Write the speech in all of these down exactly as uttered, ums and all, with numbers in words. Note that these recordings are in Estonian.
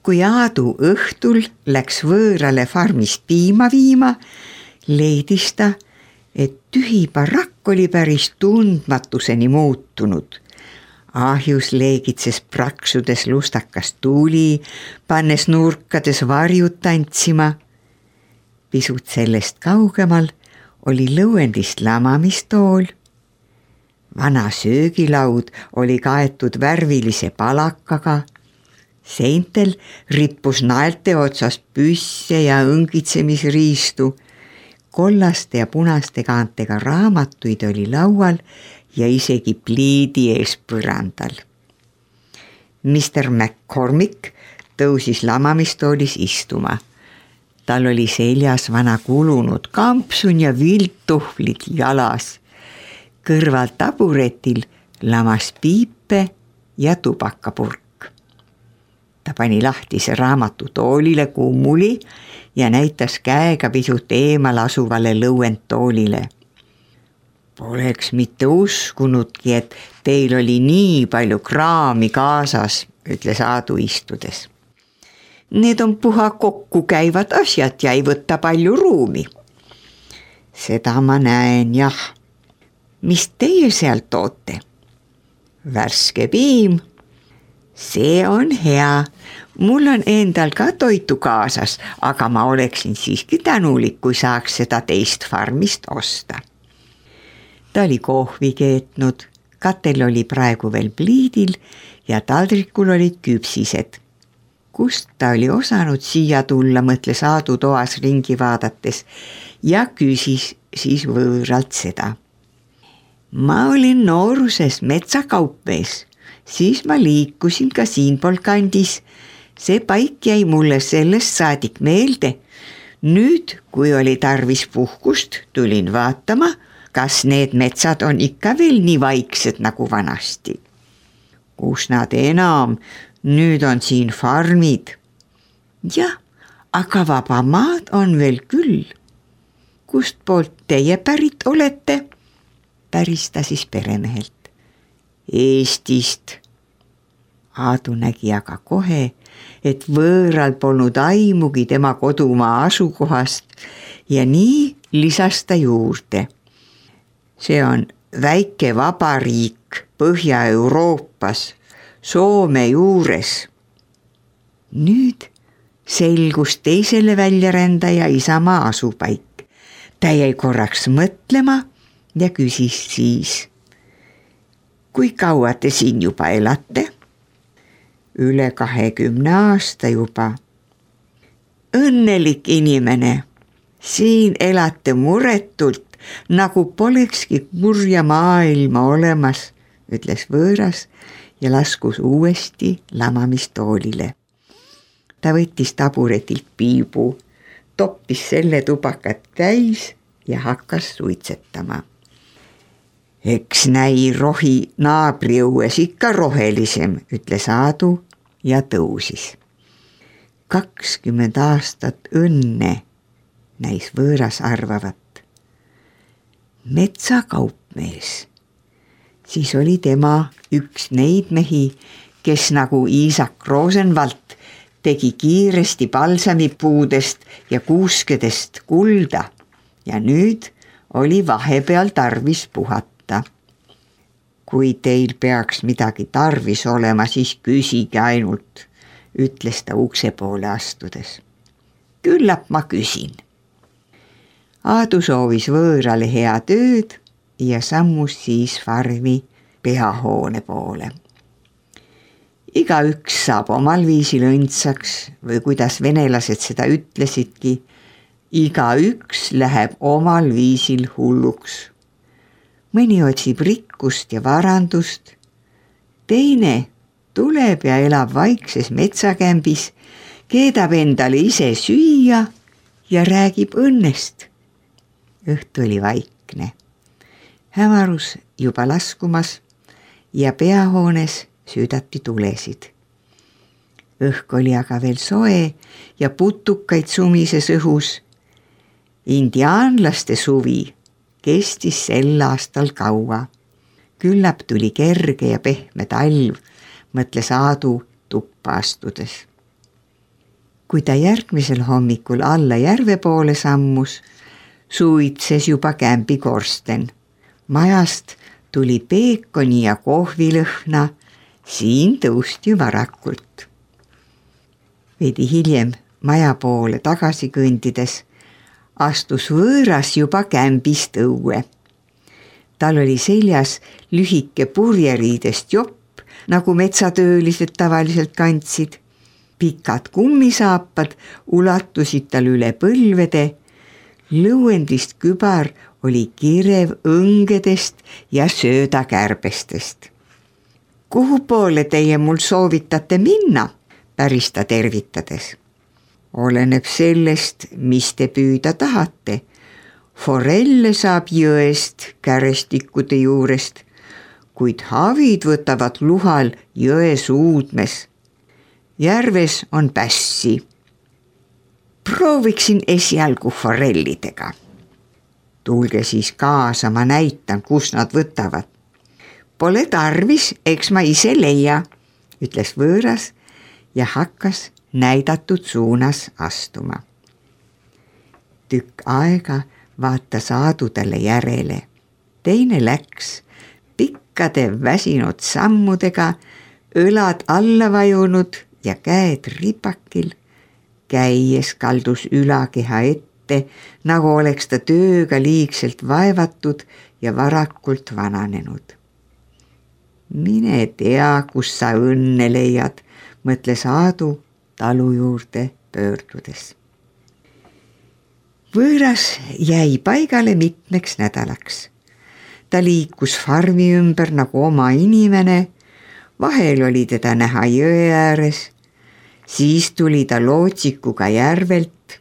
Kui Aadu õhtul läks võõrale farmist piima viima, leidis ta, et tühi barakk oli päris tundmatuseni muutunud. Ahjus leegitses praksudes lustakas tuli, pannes nurkades varjud tantsima. Pisut sellest kaugemal oli lõuendist lamamistool. Vana söögilaud oli kaetud värvilise palakaga. Seintel rippus naelte otsas püsse ja õngitsemisriistu. Kollaste ja punaste kaantega raamatuid oli laual ja isegi pliidi ees põrandal. mister McCormick tõusis lamamistoolis istuma. Tal oli seljas vana kulunud kampsun ja viltuhvlid jalas. Kõrval taburetil lamas piipe ja tubakapurk. Ta pani lahtise raamatu toolile kummuli ja näitas käega pisut eemal asuvale lõuendtoolile. Poleks mitte uskunudki, et teil oli nii palju kraami kaasas, ütles Aadu istudes. Need on puha kokku käivad asjad ja ei võta palju ruumi. Seda ma näen, jah. Mis teie sealt toote? Värske piim. See on hea. Mul on endal ka toitu kaasas, aga ma oleksin siiski tänulik, kui saaks seda teist farmist osta. Ta oli kohvi keetnud, katel oli praegu veel pliidil ja taldrikul olid küpsised. Kust ta oli osanud siia tulla, mõtles Aadu toas ringi vaadates ja küsis siis võõralt seda. Ma olin nooruses metsakaupmees. Siis ma liikusin ka siinpool kandis. See paik jäi mulle sellest saadik meelde. Nüüd, kui oli tarvis puhkust, tulin vaatama, kas need metsad on ikka veel nii vaiksed nagu vanasti. Kus nad enam, nüüd on siin farmid. Jah, aga vaba maad on veel küll. Kust poolt teie pärit olete? Päris ta siis peremehelt. Eestist. Aadu nägi aga kohe, et võõral polnud aimugi tema kodumaa asukohast ja nii lisas ta juurde. See on väike vabariik Põhja-Euroopas, Soome juures. Nüüd selgus teisele väljarändaja isamaa asupaik. Ta jäi korraks mõtlema ja küsis siis. Kui kaua te siin juba elate? Üle kahekümne aasta juba. Õnnelik inimene. Siin elate muretult, nagu polekski kurja maailma olemas, ütles võõras ja laskus uuesti lamamistoolile. Ta võttis taburetilt piibu, toppis selle tubakat täis ja hakkas suitsetama. Eks näi rohi naabriõues ikka rohelisem, ütles Aadu ja tõusis. kakskümmend aastat õnne, näis võõras arvavat. Metsakaupmees. Siis oli tema üks neid mehi, kes nagu Iisak Rosenvalt tegi kiiresti palsamipuudest ja kuuskedest kulda ja nüüd oli vahepeal tarvis puhata. Kui teil peaks midagi tarvis olema, siis küsige ainult, ütles ta ukse poole astudes. Küllap ma küsin. Aadu soovis võõrale hea tööd ja sammus siis farmi peahoone poole. Igaüks saab omal viisil õndsaks või kuidas venelased seda ütlesidki, igaüks läheb omal viisil hulluks. Mõni otsib rikkust ja varandust, teine tuleb ja elab vaikses metsakämbis, keedab endale ise süüa ja räägib õnnest. Õhtu oli vaikne. Hämarus juba laskumas ja peahoones süüdati tulesid. Õhk oli aga veel soe ja putukaid sumises õhus. Indiaanlaste suvi kestis sel aastal kaua. Küllap tuli kerge ja pehme talv, mõtles Aadu tuppa astudes. Kui ta järgmisel hommikul alla järve poole sammus, suitses juba kämbi korsten. Majast tuli peekoni ja kohvilõhna, siin tõusti varakult. Veidi hiljem maja poole tagasi kõndides astus võõras juba kämbist õue. Tal oli seljas lühike purjeriidest jopp, nagu metsatöölised tavaliselt kandsid. Pikad kummisaapad ulatusid tal üle põlvede, lõuendist kübar oli kirev õngedest ja söödakärbestest. Kuhu poole teie mul soovitate minna, päris ta tervitades. Oleneb sellest, mis te püüda tahate. Forelle saab jõest kärestikkude juurest, kuid havid võtavad luhal jõe suudmes. Järves on pässi. Prooviksin esialgu forellidega. Tulge siis kaasa, ma näitan, kus nad võtavad. Pole tarvis, eks ma ise leia, ütles võõras ja hakkas näidatud suunas astuma. Tükk aega vaatas Aadu talle järele. Teine läks pikkade väsinud sammudega, õlad alla vajunud ja käed ripakil, käies kaldus ülakeha ette, nagu oleks ta tööga liigselt vaevatud ja varakult vananenud. Mine tea, kus sa õnne leiad, mõtles Aadu talu juurde pöördudes. Võõras jäi paigale mitmeks nädalaks. Ta liikus farmi ümber nagu oma inimene, vahel oli teda näha jõe ääres, siis tuli ta lootsikuga järvelt,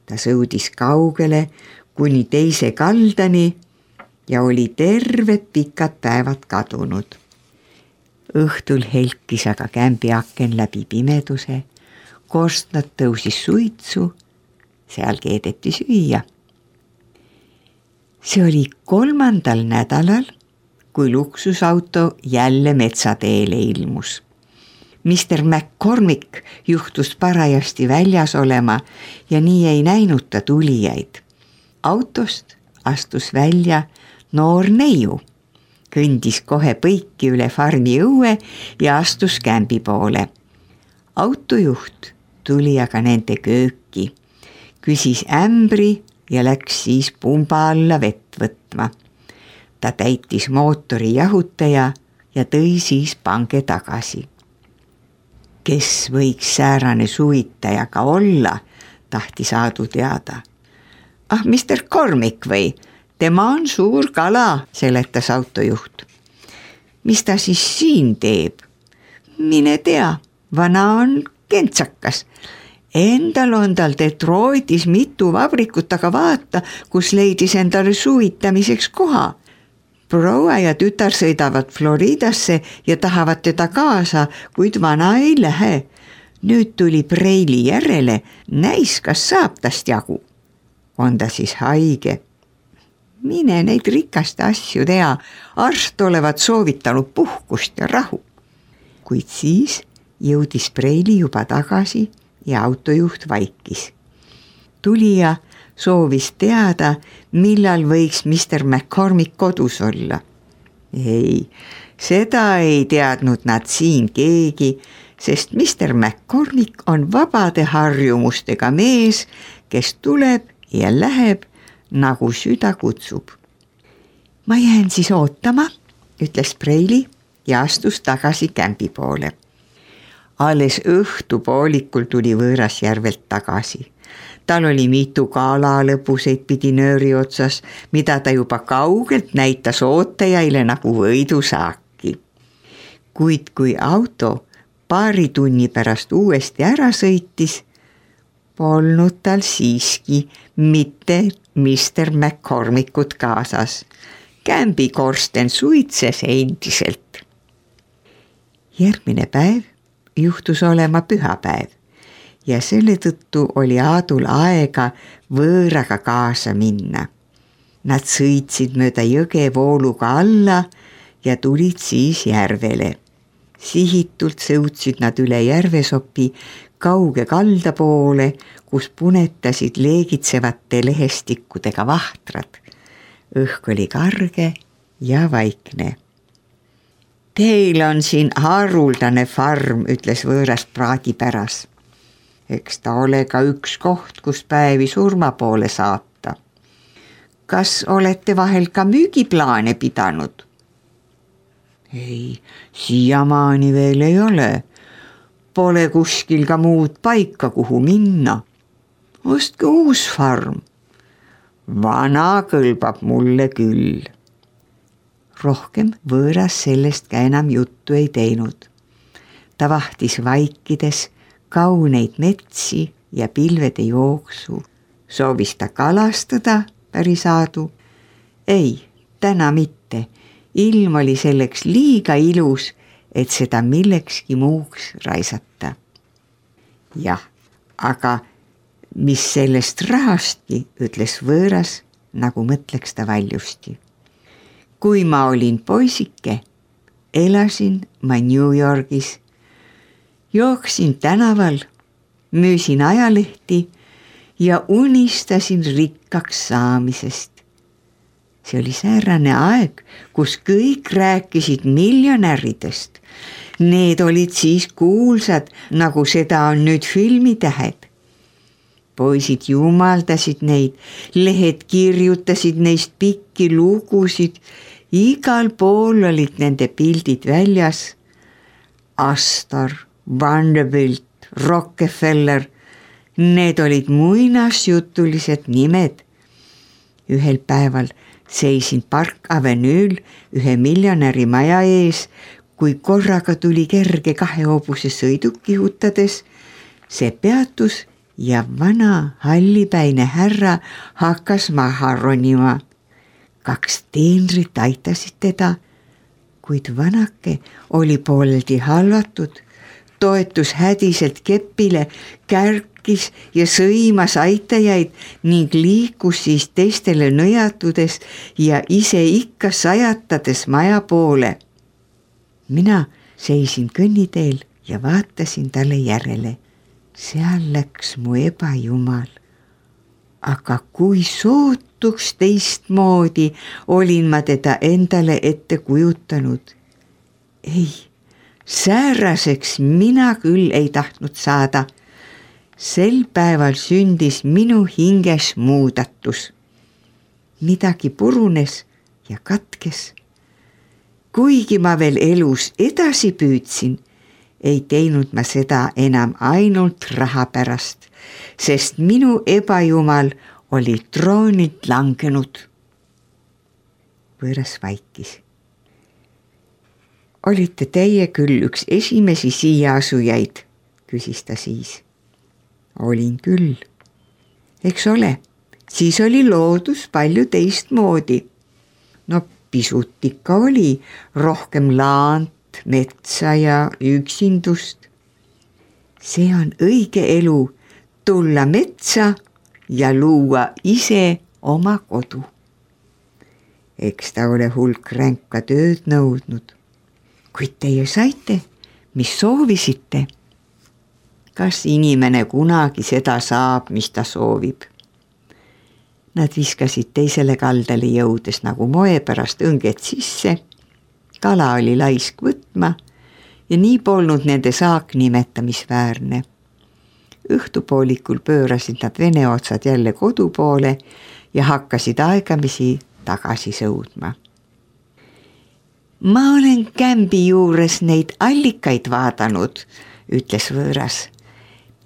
ta sõudis kaugele kuni teise kaldani ja oli terved pikad päevad kadunud. Õhtul helkis aga kämbi aken läbi pimeduse, korstnad tõusis suitsu, seal keedeti süüa. See oli kolmandal nädalal, kui luksusauto jälle metsateele ilmus. mister McCormick juhtus parajasti väljas olema ja nii ei näinud ta tulijaid. Autost astus välja noor neiu, kõndis kohe põiki üle farmi õue ja astus kämbi poole. Autojuht tuli aga nende kööki, küsis ämbri ja läks siis pumba alla vett võtma. Ta täitis mootori jahutaja ja tõi siis pange tagasi. Kes võiks säärane suvitaja ka olla, tahtis Aadu teada. Ah, mister Cormick või? Tema on suur kala, seletas autojuht. Mis ta siis siin teeb? Mine tea, vana on kentsakas. Endal on tal Detroitis mitu vabrikut, aga vaata, kus leidis endale suvitamiseks koha. Proua ja tütar sõidavad Floridasse ja tahavad teda kaasa, kuid vana ei lähe. Nüüd tuli preili järele, näis, kas saab tast jagu. On ta siis haige? Mine neid rikaste asju tea, arst olevat soovitanud puhkust ja rahu. Kuid siis jõudis preili juba tagasi ja autojuht vaikis. Tulija soovis teada, millal võiks mister McCormick kodus olla. Ei, seda ei teadnud nad siin keegi, sest mister McCormick on vabade harjumustega mees, kes tuleb ja läheb, nagu süda kutsub. Ma jään siis ootama, ütles preili ja astus tagasi kämbi poole. Alles õhtupoolikul tuli võõras järvelt tagasi. Tal oli mitu kaala lõpuseid pidi nööri otsas, mida ta juba kaugelt näitas ootajaile nagu võidusaaki. Kuid kui auto paari tunni pärast uuesti ära sõitis, polnud tal siiski mitte mister McCormickut kaasas. Kämbi korsten suitses endiselt. Järgmine päev juhtus olema pühapäev ja selle tõttu oli Aadul aega võõraga kaasa minna. Nad sõitsid mööda jõge vooluga alla ja tulid siis järvele. Sihitult sõutsid nad üle järvesopi kauge kalda poole, kus punetasid leegitsevate lehestikkudega vahtrad. Õhk oli karge ja vaikne. Teil on siin haruldane farm, ütles võõras praadipäras. Eks ta ole ka üks koht, kus päevi surma poole saata. Kas olete vahel ka müügiplaane pidanud? Ei, siiamaani veel ei ole. Pole kuskil ka muud paika, kuhu minna. Ostke uus farm. Vana kõlbab mulle küll. Rohkem võõras sellest ka enam juttu ei teinud. Ta vahtis vaikides kauneid metsi ja pilvede jooksu. Soovis ta kalastada päris aadu. Ei, täna mitte. Ilm oli selleks liiga ilus, et seda millekski muuks raisata. Jah, aga mis sellest rahastki, ütles võõras, nagu mõtleks ta valjusti. Kui ma olin poisike, elasin ma New Yorgis, jooksin tänaval, müüsin ajalehti ja unistasin rikkaks saamisest. See oli säärane aeg, kus kõik rääkisid miljonäridest. Need olid siis kuulsad, nagu seda on nüüd filmitähed. Poisid jumaldasid neid, lehed kirjutasid neist pikki lugusid, igal pool olid nende pildid väljas. Astor, Vanderbilt, Rockefeller, need olid muinasjutulised nimed. Ühel päeval seisin Park Avenue'l ühe miljonäri maja ees, kui korraga tuli kerge kahehobuse sõiduk kihutades. See peatus ja vana hallipäine härra hakkas maha ronima. Kaks teenrit aitasid teda, kuid vanake oli pooleldi halvatud, toetus hädiselt keppile, kärkis ja sõimas aitajaid ning liikus siis teistele nõjatudes ja ise ikka sajatades maja poole. Mina seisin kõnniteel ja vaatasin talle järele. Seal läks mu ebajumal. Aga kui sootuks teistmoodi olin ma teda endale ette kujutanud. Ei, sääraseks mina küll ei tahtnud saada. Sel päeval sündis minu hinges muudatus. Midagi purunes ja katkes. Kuigi ma veel elus edasi püüdsin, ei teinud ma seda enam ainult raha pärast, sest minu ebajumal oli troonilt langenud. Võõras vaikis. Olite teie küll üks esimesi siia asujaid, küsis ta siis. Olin küll. Eks ole, siis oli loodus palju teistmoodi. No pisut ikka oli, rohkem laant, metsa ja üksindust. See on õige elu, tulla metsa ja luua ise oma kodu. Eks ta ole hulk ränka tööd nõudnud. Kuid teie saite, mis soovisite? Kas inimene kunagi seda saab, mis ta soovib? Nad viskasid teisele kaldale jõudes nagu moe pärast õnged sisse. Kala oli laisk võtma ja nii polnud nende saak nimetamisväärne. Õhtupoolikul pöörasid nad vene otsad jälle kodu poole ja hakkasid aegamisi tagasi sõudma. Ma olen kämbi juures neid allikaid vaadanud, ütles võõras.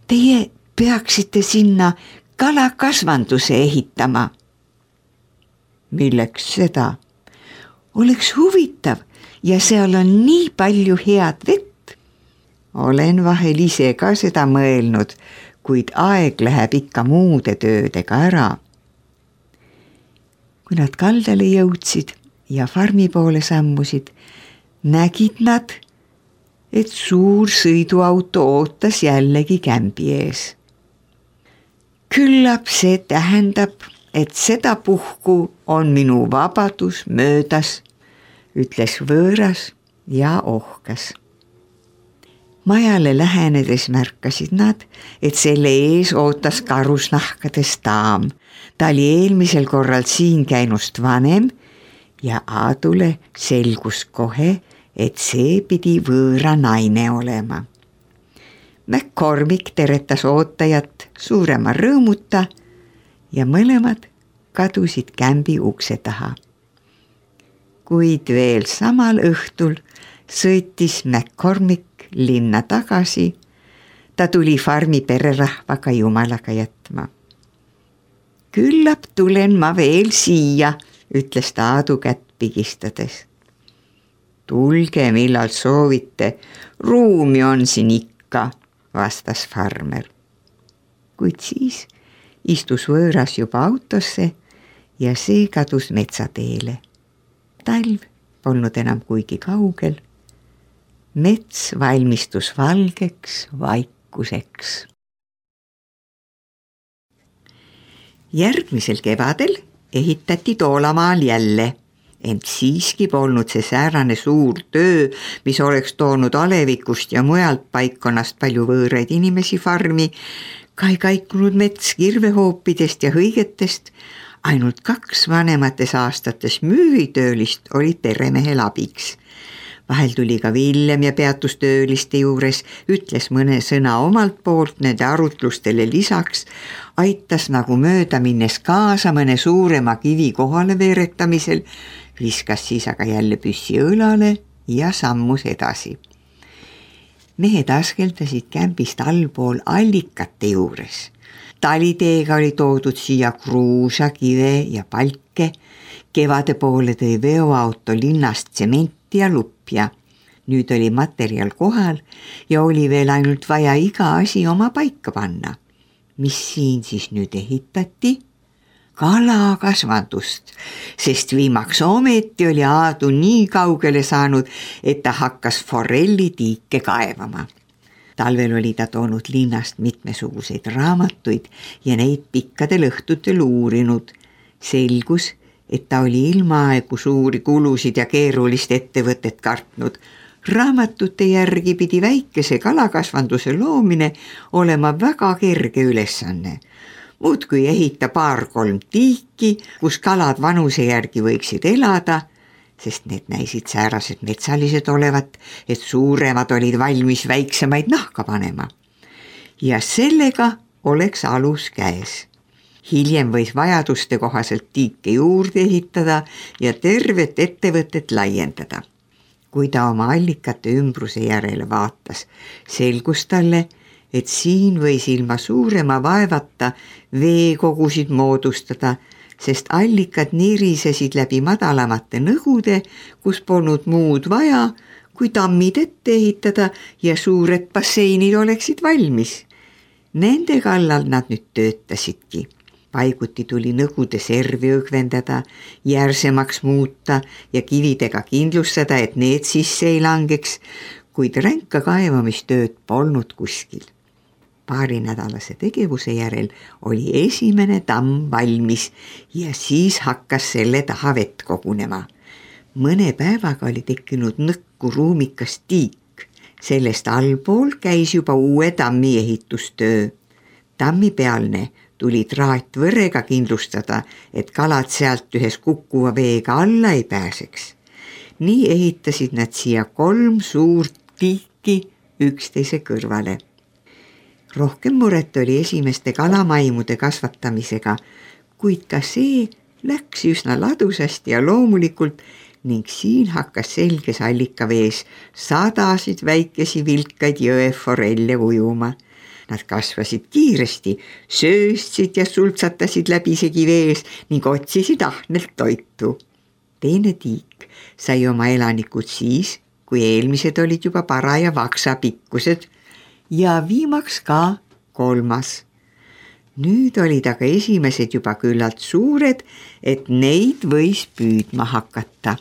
Teie peaksite sinna kalakasvanduse ehitama. Milleks seda? Oleks huvitav ja seal on nii palju head vett. Olen vahel ise ka seda mõelnud, kuid aeg läheb ikka muude töödega ära. Kui nad kaldale jõudsid ja farmi poole sammusid, nägid nad, et suur sõiduauto ootas jällegi kämbi ees. Küllap see tähendab, et seda puhku on minu vabadus möödas, ütles võõras ja ohkas. Majale lähenedes märkasid nad, et selle ees ootas karusnahkades daam. Ta oli eelmisel korral siin käinust vanem ja Aadule selgus kohe, et see pidi võõra naine olema. McCormick teretas ootajat suurema rõõmuta ja mõlemad kadusid kämbi ukse taha. Kuid veel samal õhtul sõitis McCormick linna tagasi. Ta tuli farmi pererahvaga jumalaga jätma. Küllap tulen ma veel siia, ütles ta Aadu kätt pigistades. Tulge, millal soovite, ruumi on siin ikka, vastas farmer. Kuid siis istus võõras juba autosse ja see kadus metsateele. Talv polnud enam kuigi kaugel. Mets valmistus valgeks vaikuseks. Järgmisel kevadel ehitati Toolamaal jälle, ent siiski polnud see säärane suur töö, mis oleks toonud Alevikust ja mujalt paikkonnast palju võõraid inimesi farmi, ka ei kaikunud mets kirvehoopidest ja hõigetest, ainult kaks vanemates aastates müüritöölist olid peremehel abiks. Vahel tuli ka Villem ja peatus tööliste juures, ütles mõne sõna omalt poolt nende arutlustele lisaks, aitas nagu mööda minnes kaasa mõne suurema kivi kohale veeretamisel, viskas siis aga jälle püssi õlale ja sammus edasi. Mehed askeldasid kämbist allpool allikate juures. Taliteega oli toodud siia kruusa, kive ja palke, kevade poole tõi veoauto linnast tsementi ja lupja. Nüüd oli materjal kohal ja oli veel ainult vaja iga asi oma paika panna. Mis siin siis nüüd ehitati? Kalakasvandust, sest viimaks ometi oli Aadu nii kaugele saanud, et ta hakkas forellitiike kaevama. Talvel oli ta toonud linnast mitmesuguseid raamatuid ja neid pikkadel õhtutel uurinud. Selgus, et ta oli ilmaaegu suuri kulusid ja keerulist ettevõtet kartnud. Raamatute järgi pidi väikese kalakasvanduse loomine olema väga kerge ülesanne. Muudkui ehita paar-kolm tiiki, kus kalad vanuse järgi võiksid elada, sest need näisid säärased metsalised olevat, et suuremad olid valmis väiksemaid nahka panema. Ja sellega oleks alus käes. Hiljem võis vajaduste kohaselt tiike juurde ehitada ja tervet ettevõtet laiendada. Kui ta oma allikate ümbruse järele vaatas, selgus talle, et siin võis ilma suurema vaevata veekogusid moodustada, sest allikad nirisesid läbi madalamate nõgude, kus polnud muud vaja, kui tammid ette ehitada ja suured basseinid oleksid valmis. Nende kallal nad nüüd töötasidki. Paiguti tuli nõgude servi õgvendada, järsemaks muuta ja kividega kindlustada, et need sisse ei langeks, kuid ränka kaevamistööd polnud kuskil. Paari nädalase tegevuse järel oli esimene tamm valmis ja siis hakkas selle taha vett kogunema. Mõne päevaga oli tekkinud nõkku ruumikas tiik. Sellest allpool käis juba uue tammi ehitustöö. Tammi pealne tuli traatvõrega kindlustada, et kalad sealt ühes kukkuva veega alla ei pääseks. Nii ehitasid nad siia kolm suurt tiiki üksteise kõrvale. Rohkem muret oli esimeste kalamaimude kasvatamisega, kuid ka see läks üsna ladusasti ja loomulikult ning siin hakkas selges allikavees sadasid väikesi vilkaid jõeforelle ujuma. Nad kasvasid kiiresti, sööstsid ja sultsatasid läbisegi vees ning otsisid ahnelt toitu. Teine tiik sai oma elanikud siis, kui eelmised olid juba paraja vaksa pikkused ja viimaks ka kolmas. Nüüd olid aga esimesed juba küllalt suured, et neid võis püüdma hakata.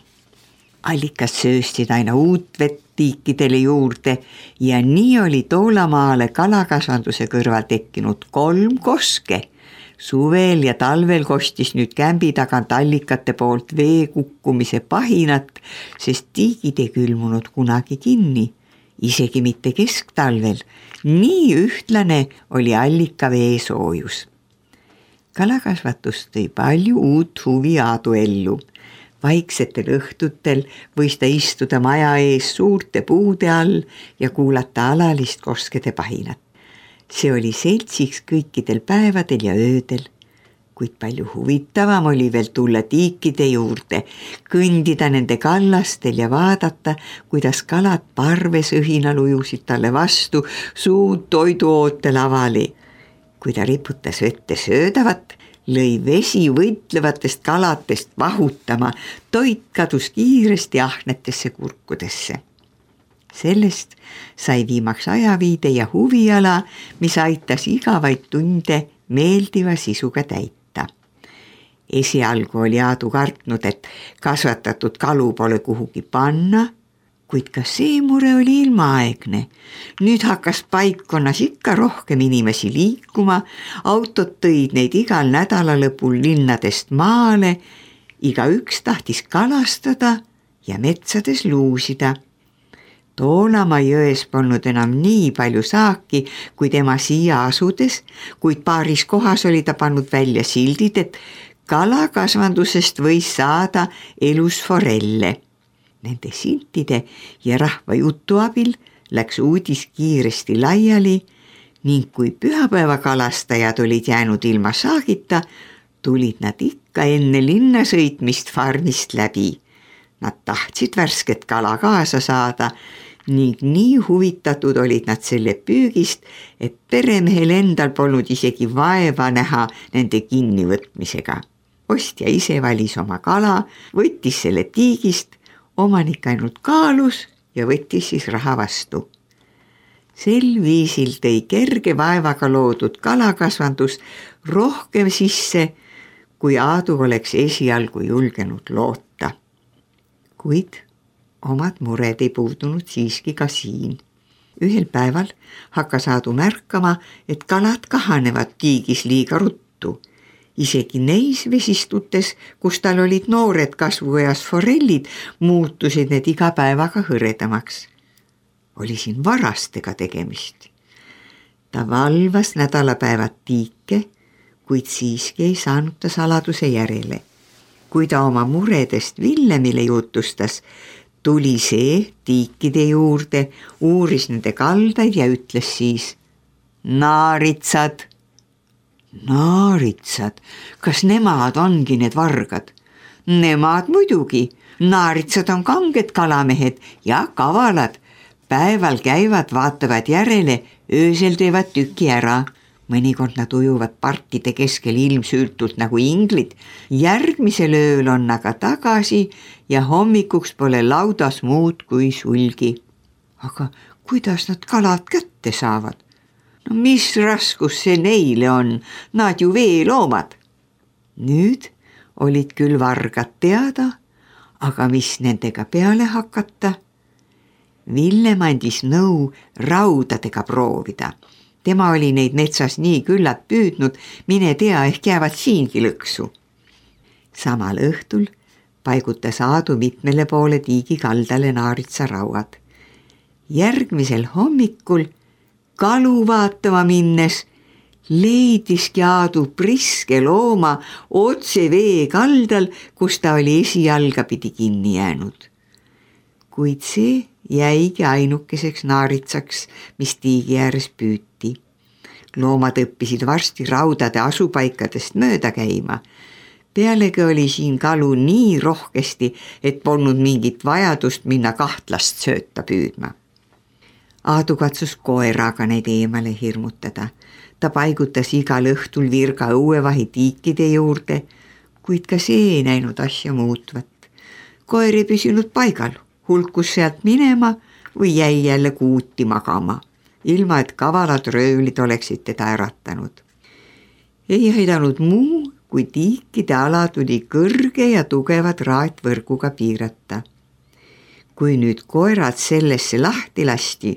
Allikas sööstid aina uut vett tiikidele juurde ja nii oli Toolamaale kalakasvanduse kõrval tekkinud kolm koske. Suvel ja talvel kostis nüüd kämbi tagant allikate poolt vee kukkumise pahinat, sest tiigid ei külmunud kunagi kinni isegi mitte kesktalvel, nii ühtlane oli allika vee soojus. Kalakasvatus tõi palju uut huvi Aadu ellu. Vaiksetel õhtutel võis ta istuda maja ees suurte puude all ja kuulata alalist koskede pahinat. See oli seltsiks kõikidel päevadel ja öödel, kuid palju huvitavam oli veel tulla tiikide juurde, kõndida nende kallastel ja vaadata, kuidas kalad parves õhinal ujusid talle vastu suud toiduootel avali. Kui ta riputas vette söödavat, lõi vesi võitlevatest kalatest vahutama, toit kadus kiiresti ahnetesse kurkudesse. Sellest sai viimaks ajaviide ja huviala, mis aitas igavaid tunde meeldiva sisuga täita. Esialgu oli Aadu kartnud, et kasvatatud kalu pole kuhugi panna, kuid ka see mure oli ilmaaegne. Nüüd hakkas paikkonnas ikka rohkem inimesi liikuma, autod tõid neid igal nädalalõpul linnadest maale, igaüks tahtis kalastada ja metsades luusida. Toonamaa jões polnud enam nii palju saaki, kui tema siia asudes, kuid paaris kohas oli ta pannud välja sildid, et kalakasvandusest võis saada elus forelle. Nende siltide ja rahva jutu abil läks uudis kiiresti laiali ning kui pühapäevakalastajad olid jäänud ilma saagita, tulid nad ikka enne linna sõitmist farmist läbi. Nad tahtsid värsket kala kaasa saada ning nii huvitatud olid nad selle püügist, et peremehel endal polnud isegi vaeva näha nende kinnivõtmisega. Ostja ise valis oma kala, võttis selle tiigist, omanik ainult kaalus ja võttis siis raha vastu. Sel viisil tõi kerge vaevaga loodud kalakasvandus rohkem sisse, kui Aadu oleks esialgu julgenud loota. Kuid omad mured ei puudunud siiski ka siin. Ühel päeval hakkas Aadu märkama, et kalad kahanevad tiigis liiga ruttu. Isegi neis vesistutes, kus tal olid noored kasvueas forellid, muutusid need iga päevaga hõredamaks. Oli siin varastega tegemist. Ta valvas nädalapäevad tiike, kuid siiski ei saanud ta saladuse järele. Kui ta oma muredest Villemile jutustas, tuli see tiikide juurde, uuris nende kaldaid ja ütles siis: naaritsad! Naaritsad, kas nemad ongi need vargad? Nemad muidugi, naaritsad on kanged kalamehed ja kavalad. Päeval käivad, vaatavad järele, öösel teevad tüki ära. Mõnikord nad ujuvad partide keskel ilmsültult nagu inglid. Järgmisel ööl on aga tagasi ja hommikuks pole laudas muud kui sulgi. Aga kuidas nad kalad kätte saavad? No mis raskus see neile on, nad ju veeloomad. Nüüd olid küll vargad teada, aga mis nendega peale hakata? Villem andis nõu raudadega proovida. Tema oli neid metsas nii küllalt püüdnud, mine tea, ehk jäävad siingi lõksu. Samal õhtul paigutas Aadu mitmele poole tiigi kaldale naaritsa rauad. Järgmisel hommikul kalu vaatama minnes leidiski Aadu priske looma otse vee kaldal, kus ta oli esijalga pidi kinni jäänud. Kuid see jäigi ainukeseks naaritsaks, mis tiigi ääres püüti. Loomad õppisid varsti raudade asupaikadest mööda käima. Pealegi oli siin kalu nii rohkesti, et polnud mingit vajadust minna kahtlast sööta püüdma. Aadu katsus koeraga neid eemale hirmutada. Ta paigutas igal õhtul virga õuevahi tiikide juurde, kuid ka see ei näinud asja muutvat. Koer ei püsinud paigal, hulkus sealt minema või jäi jälle kuuti magama, ilma et kavalad röövlid oleksid teda äratanud. Ei aidanud muu, kui tiikide ala tuli kõrge ja tugevad raatvõrguga piirata. Kui nüüd koerad sellesse lahti lasti,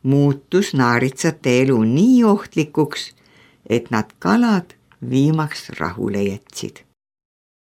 muutus naaritsate elu nii ohtlikuks, et nad kalad viimaks rahule jätsid.